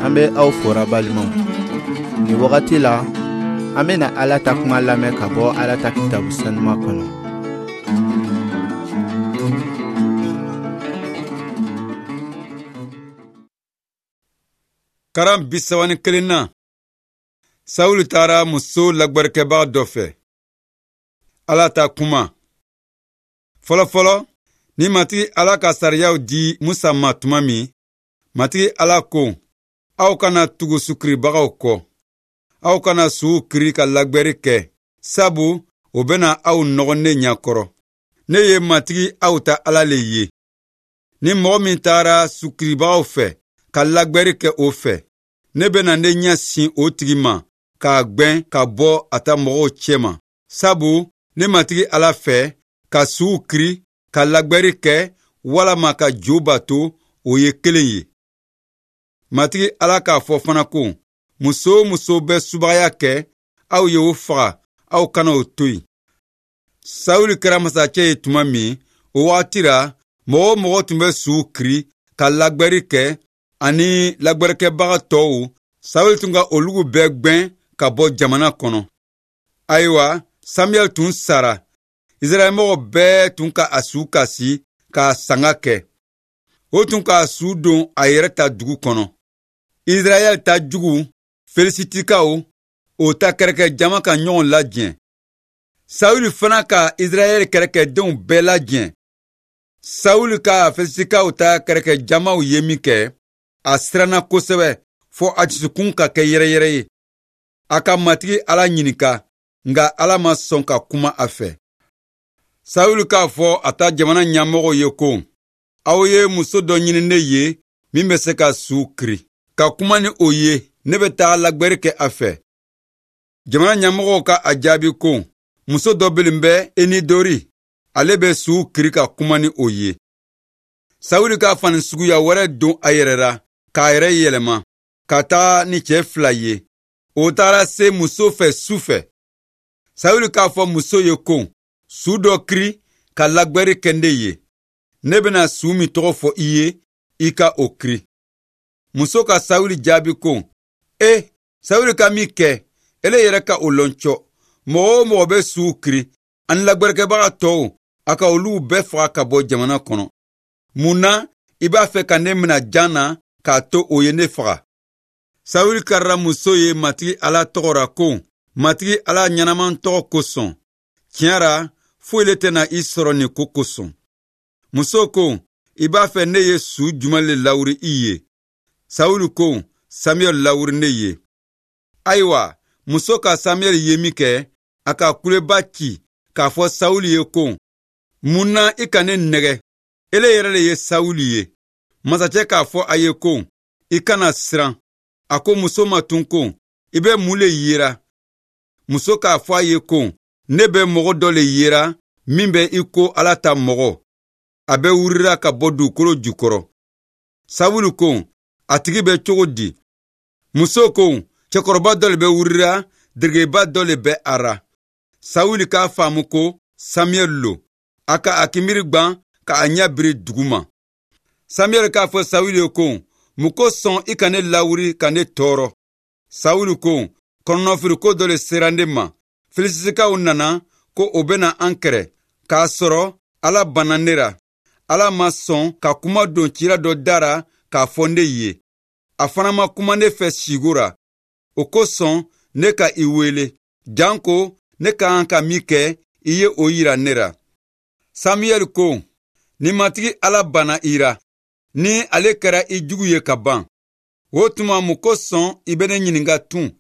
An bɛ aw fora balimaw. Nin wagati la, an bɛna Ala ta kuma lamɛn ka bɔ Ala ta kitabu sanuma kɔnɔ. Karan 31nan, Sawuli taara muso lagwɛrɛkɛbaga dɔ fɛ. Ala ta kuma. Fɔlɔfɔlɔ, ni Matigi Ala ka sariyaw di Musa ma tuma min, Matigi Ala ko, aw kana tugu sukiribagaw kɔ. Aw kana suw kiri ka lagwɛri kɛ, sabu o bɛna aw nɔgɔ ne ɲɛkɔrɔ. Ne ye Matigi aw ta Ala le ye. Ni mɔgɔ min taara sukiribagaw fɛ ka lagwɛri kɛ o fɛ, ne bɛna ne ɲɛ sin o tigi ma k'a gwɛn ka bɔ a ta mɔgɔw cɛma, sabu ne Matigi Ala fɛ ka suw kiri ka lagwɛri kɛ walama ka jo bato, o ye kelen ye. Matigi Ala k'a fɔ fana ko, muso o muso bɛ subagaya kɛ, aw ye o faga, aw kana o to yen. Sawuli kɛra masacɛ ye tuma min, o wagati ra, mɔgɔ o mɔgɔ tun bɛ suw kiri ka lagwɛri kɛ ani lagwɛrɛkɛbaga tɔw, Sawuli tun ka olugu bɛɛ gwɛn ka bɔ jamana kɔnɔ. Ayiwa, Samuyɛli tun sara. Israɛlmɔgɔ bɛɛ tun ka a su kasi k'a sanga kɛ. O tun k'a su don a yɛrɛ ta dugu kɔnɔ. Israɛl ta jugu, Felisitikaw, o ta kɛrɛkɛ jama ka ɲɔgɔn lajɛ. Sawuli fana ka Israɛl kɛrɛkɛdenw bɛɛ lajɛ. Sawuli ka Felisitikaw ta kɛrɛkɛ jamaw ye min kɛ, a siranna kosɛbɛ fɔ a dusukun ka kɛ yɛrɛyɛrɛ ye. A ka Matigi Ala ɲininka, nka Ala ma sɔn ka kuma a fɛ. Sawuli k'a fɔ a ta jamana ɲɛmɔgɔw ye ko, aw ye muso dɔ ɲini ne ye min bɛ se ka suw kiri, ka kuma ni o ye, ne bɛ taga lagwɛri kɛ a fɛ. Jamana ɲɛmɔgɔw ka a jaabi ko, muso dɔ belen bɛ Enidori, ale bɛ suw kiri ka kuma ni o ye. Sawuli ka fani suguya wɛrɛ don a yɛrɛ ra k'a yɛrɛ yɛlɛma ka taga ni cɛ fila ye. O taara se muso fɛ su fɛ. Sawuli k'a fɔ muso ye ko, su dɔ kiri ka lagwɛri kɛ ne ye. Ne bɛna su min tɔgɔ fɔ i ye, i ka o kiri. Muso ka Sawuli jaabi ko, e, Sawuli ka min kɛ, ele yɛrɛ ka o lɔn cɔ. Mɔgɔ o mɔgɔ bɛ suw kiri, ani lagwɛrɛkɛbaga tɔw, a ka olu bɛɛ faga ka bɔ jamana kɔnɔ. Mun na i b'a fɛ ka ne mina jan na k'a to o ye ne faga? Sawuli karila muso ye Matigi Ala tɔgɔ ra ko, Matigi Ala ɲɛnaman tɔgɔ kosɔn, tiɲɛ ra, foyi le tɛna i sɔrɔ nin ko kosɔn. Muso ko, i b'a fɛ ne ye su jumɛn le lawuri i ye? Sawuli ko, Samuyɛli lawuri ne ye. Ayiwa, muso ka Samuyɛli ye min kɛ, a ka kuleba ci k'a fɔ Sawuli ye ko, mun na i ka ne nɛgɛ? Ele yɛrɛ le ye Sawuli ye. Masacɛ k'a fɔ a ye ko, i kana siran. A ko muso ma tun ko, i bɛ mun le yera? Muso k'a fɔ a ye ko, ne bɛ mɔgɔ dɔ le yera min bɛ i ko Ala ta mɔgɔ. A bɛ wurira ka bɔ dugukolo jukɔrɔ. Sawuli ko, a tigi bɛ cogo di? Muso ko, cɛkɔrɔba dɔ le bɛ wurira, deregeba dɔ le bɛ a ra. Sawuli k'a faamu ko Samuyɛli lo. A ka a kinbiri gwan ka a ɲɛ biri duguma. Samuyɛli k'a fɔ Sawuli ye ko, mun kosɔn i ka ne lawuri ka ne tɔɔrɔ? Sawuli ko, kɔnɔnafili ko dɔ le sera ne ma. Filisitikaw nana ko o bɛna an kɛrɛ, k'a sɔrɔ Ala banna ne ra. Ala ma sɔn ka kuma don cira dɔ da ra k'a fɔ ne ye. A fana ma kuma ne fɛ sigo ra. O kosɔn ne ka i wele, janko ne ka kan ka min kɛ, i ye o yira ne ra. Samuyɛli ko, ni Matigi Ala banna i ra, ni ale kɛra i jugu ye ka ban, o tuma mun kosɔn i bɛ ne ɲininka tun?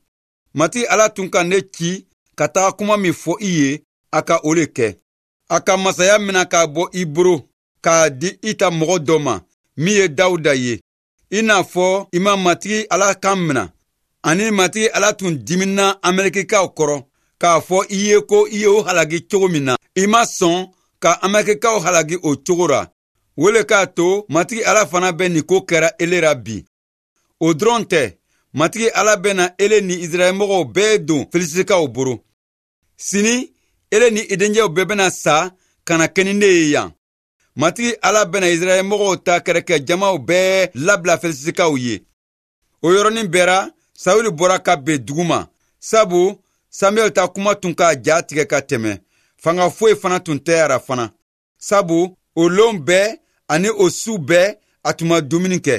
Matigi Ala tun ka ne ci ka taga kuma min fɔ i ye, a ka o le kɛ. A ka masaya mina k'a bɔ i bolo k'a di i ta mɔgɔ dɔ ma min ye Dawuda ye. I n'a fɔ i ma Matigi Ala kan mina, ani Matigi Ala tun dimina Amalekikaw kɔrɔ k'a fɔ i ye ko i ye o halaki cogo min na, i ma sɔn ka Amalekikaw halaki o cogo ra. O le k'a to Matigi Ala fana bɛ nin ko kɛra ele ra bi. O dɔrɔn tɛ, Matigi Ala bɛna ele ni Israɛlmɔgɔw bɛɛ don Filisitikaw bolo. Sini, ele ni i dencɛw bɛɛ bɛna sa ka na kɛ ni ne ye yan. Matigi Ala bɛna Israɛlmɔgɔw ta kɛrɛkɛ jamaw bɛɛ labila Filisitikaw ye. O yɔrɔnin bɛɛ ra, Sawuli bɔra ka ben dugu ma, sabu Samuɛl ta kuma tun k'a ja tigɛ ka tɛmɛ. Fanga foyi fana tun tɛ a ra fana, sabu o lon bɛɛ ani o su bɛɛ a tun ma dumuni kɛ.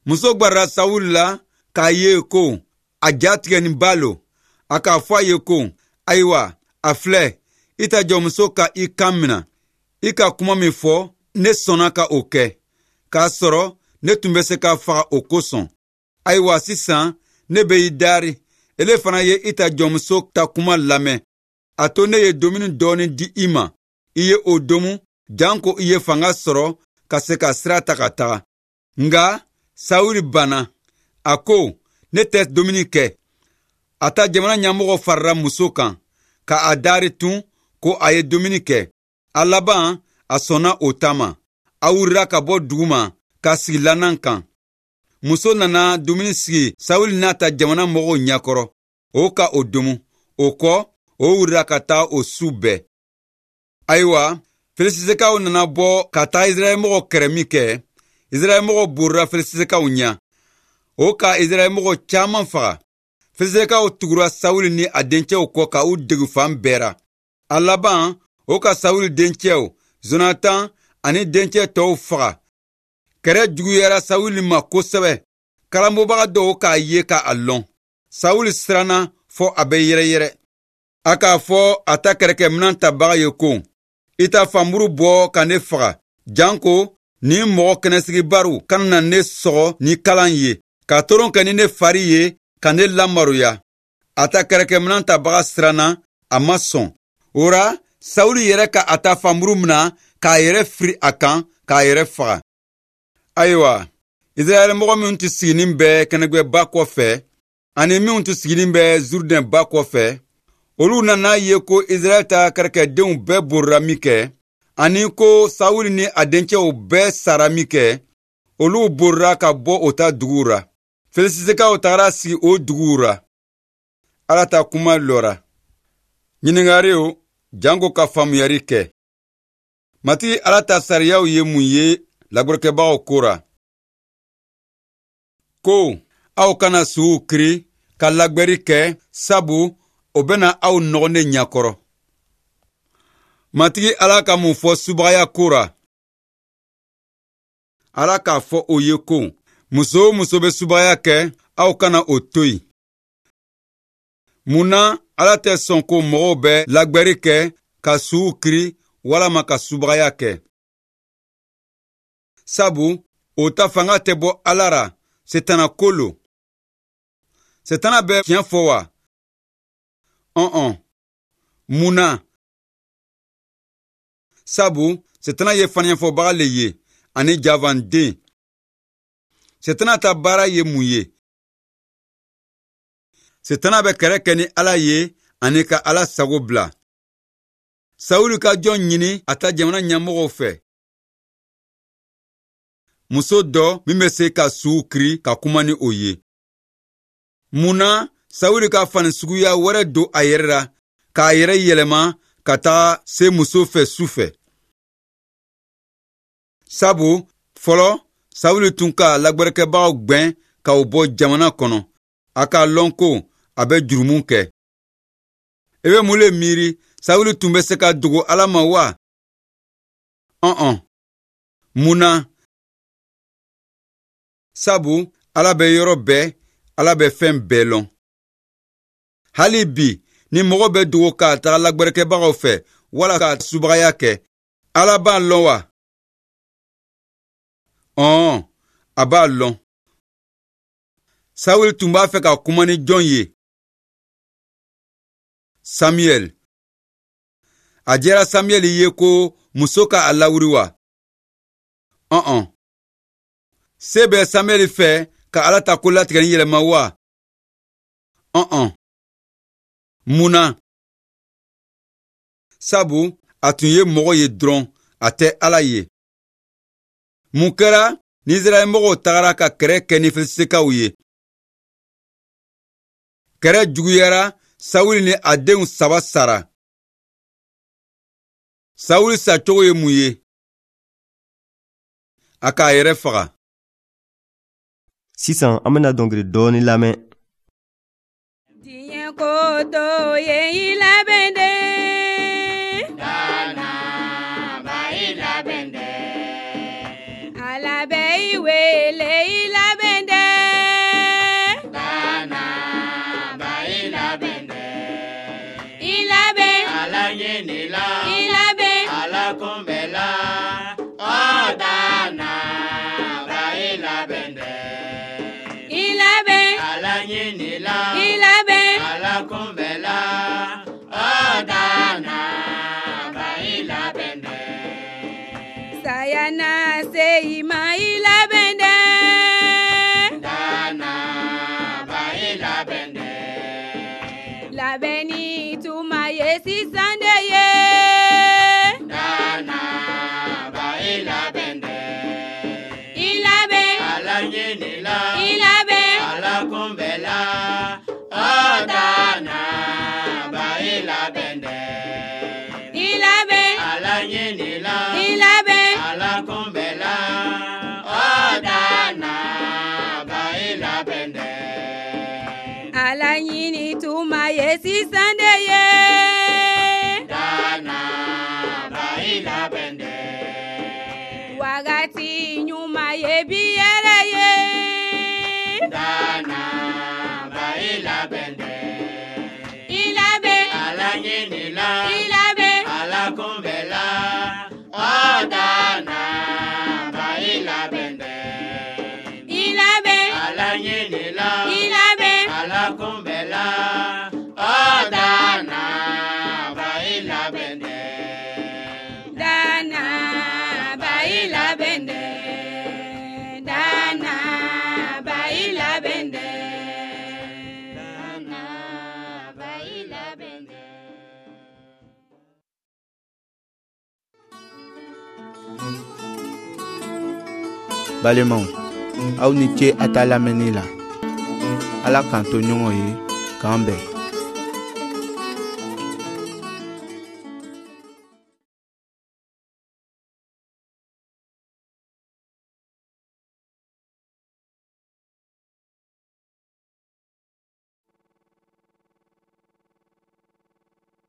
Muso gwarala Sawuli la k'a ye ko a ja tigɛninba lo. A k'a fɔ a ye ko, ayiwa, a filɛ, i ta jɔnmuso ka i kan mina. I ka kuma min fɔ, ne sɔnna ka o kɛ, k'a sɔrɔ ne tun bɛ se ka faga o kosɔn. Ayiwa sisan, ne bɛ i dari, ele fana ye i ta jɔnmuso ta kuma lamɛn. A to ne ye dumuni dɔɔni di i ma, i ye o domu, janko i ye fanga sɔrɔ ka se ka sira ta ka taga. Nka Sawuli banna, a ko, ne tɛ dumuni kɛ. A ta jamana ɲɛmɔgɔ farala muso kan, ka a dari tun ko a ye dumuni kɛ. A laban, a sɔnna o ta ma. A wulila ka bɔ dugu ma ka sigi lanan kan. Muso nana dumuni sigi Sawuli n'a ta jamana mɔgɔw ɲɛkɔrɔ, o ka o domu. O kɔ, o wulila ka taa o su bɛɛ. Ayiwa, Filisitikaw nana bɔ ka taa Israɛlmɔgɔw kɛrɛ min kɛ, Israɛlmɔgɔw borila Filisitikaw ɲɛ. O ka Israɛlmɔgɔ caman faga. Filisitikaw tugura Sawuli ni a dencɛw kɔ ka u degu fan bɛɛ ra. A laban, o ka Sawuli dencɛw, Zonatan ani dencɛ tɔw faga. Kɛrɛ juguyara Sawuli ma kosɛbɛ. Kalanbɔbaga dɔw k'a ye k'a lɔn. Sawuli siranna fɔ a bɛ yɛrɛyɛrɛ. A k'a fɔ a ta kɛlɛkɛminɛn tabaga ye ko, i ta fanburu bɔ ka ne faga, janko ni mɔgɔ kɛnɛsigibariw kana na ne sɔgɔ ni kalan ye, ka toron kɛ ni ne fari ye ka ne lamaroya. A ta kɛlɛkɛminɛn tabaga siranna, a ma sɔn. O ra, Sawuli yɛrɛ ka a ta fanburu mina k'a yɛrɛ firi a kan k'a yɛrɛ faga. Ayiwa, Israɛl mɔgɔ minnu tun siginin bɛ kɛnɛgbɛba kɔfɛ ani minnu tun siginin bɛ Zurdɛn ba kɔfɛ, olu nana ye ko Israɛl ta kɛlɛkɛdenw bɛɛ borila min kɛ, ani ko Sawuli ni a dencɛw bɛɛ sara min kɛ, olu borila ka bɔ o ta duguw ra. Filisitikaw tagara sigi o duguw ra. Ala ta kuma lɔra. Ɲininkariw janko ka faamuyali kɛ. Matigi Ala ta sariyaw ye mun ye lagbɛrɛkɛbagaw ko ra? Ko aw kana suw kiri ka lagbɛri kɛ, sabu o bɛna aw nɔgɔ ne ɲɛkɔrɔ. Matigi Ala ka mun fɔ subagaya ko ra? Ala k'a fɔ o ye ko, muso o muso bɛ subagaya kɛ, aw kana o to yen. Mun na Ala tɛ sɔn ko mɔgɔw bɛ lagbɛri kɛ ka suw kiri walama ka subagaya kɛ? Sabu o ta fanga tɛ bɔ Ala ra, setana ko lo. Setana bɛ tiɲɛ fɔ wa? Ɔn-ɔn. Mun na? Sabu setana ye faniɲɛfɔbaga le ye ani javanden. Setana ta baara ye mun ye? Setana bɛ kɛlɛ kɛ ni Ala ye ani ka Ala sago bila. Sawuli ka jɔn ɲini a ta jamana ɲɛmɔgɔw fɛ. Muso dɔ min bɛ se ka suw kiri ka kuma ni o ye. Mun na Sawuli ka fani suguya wɛrɛ don a yɛrɛ la k'a yɛrɛ yɛlɛma ka taga se muso fɛ su fɛ? Sabu fɔlɔ Sawuli tun ka lagbɛrɛkɛbagaw gwɛn ka u bɔ jamana kɔnɔ. A k'a lɔn ko a bɛ jurumu kɛ. I bɛ mun le miiri? Sawuli tun bɛ se ka dogo Ala ma wa? Ɔn-ɔn. Mun na? Sabu Ala bɛ yɔrɔ bɛɛ, Ala bɛ fɛn bɛɛ lɔn. Hali bi, ni mɔgɔ bɛ dogo ka taga lagbɛrɛkɛbagaw fɛ wala ka subagaya kɛ, Ala b'a lɔn wa? Ɔn, a b'a lɔn. Sawuli tun b'a fɛ ka kuma ni jɔn ye? Samuɛl. A diyara Samuɛl ye ko muso ka a lawuri wa? Ɔn-ɔn. Se bɛ Samuɛl fɛ ka Ala ta ko latigɛni yɛlɛma wa? Ɔn-ɔn. Mun na? Sabu a tun ye mɔgɔ ye dɔrɔn, a tɛ Ala ye. Mun kɛra ni Israɛl mɔgɔw tagara ka kɛlɛ kɛ ni Filisitikaw ye? Kɛlɛ juguyara, Sawuli ni a denw saba sara. Sawuli sacogo ye mun ye? A k'a yɛrɛ faga. Sisan an bɛna dɔnkili dɔɔni lamɛn. Diɲɛ ko to ye i labɛn dɛ. Dana ba i labɛn dɛ. Ala bɛ i wele i labɛn dɛ. Dana ba i labɛn dɛ. I labɛn. Ala ɲinila. I labɛn. Ala kunbɛla. Ɔ dana ba i labɛn dɛ. I labɛn. Ala ɲinila. I labɛn. Ala kunbɛla. Ɔ dana ba i labɛn dɛ. Saya na se i ma i labɛn dɛ. Dana ba i labɛn dɛ. Labɛnni tuma ye sisan de ye. Dana ba i labɛn dɛ. I labɛn. Ala ɲinila. I labɛn. Ala kunbɛla. Ɔ dana ba i labɛn dɛ. I labɛn. Ala ɲinila. I labɛn. Ala kunbɛla. Ɔ dana ba i labɛn dɛ. Ala ɲini tuma ye sisan de ye. Dana ba i labɛn dɛ. Wagati ɲuman ye bi yɛrɛ ye. Dana ba i labɛn dɛ. I labɛn. Ala ɲinila. I labɛn. Ala kunbɛla. Ɔ dana ba i labɛn dɛ. I labɛn. Ala ɲinila. I labɛn. Ala kunbɛla. Ɔ dana ba i labɛn dɛ. Dana ba i labɛn dɛ. Dana ba i labɛn dɛ. Dana ba i labɛn dɛ. Balimaw, aw ni ce a ta lamɛnni la. Ala k'an to ɲɔgɔn ye, k'an bɛn.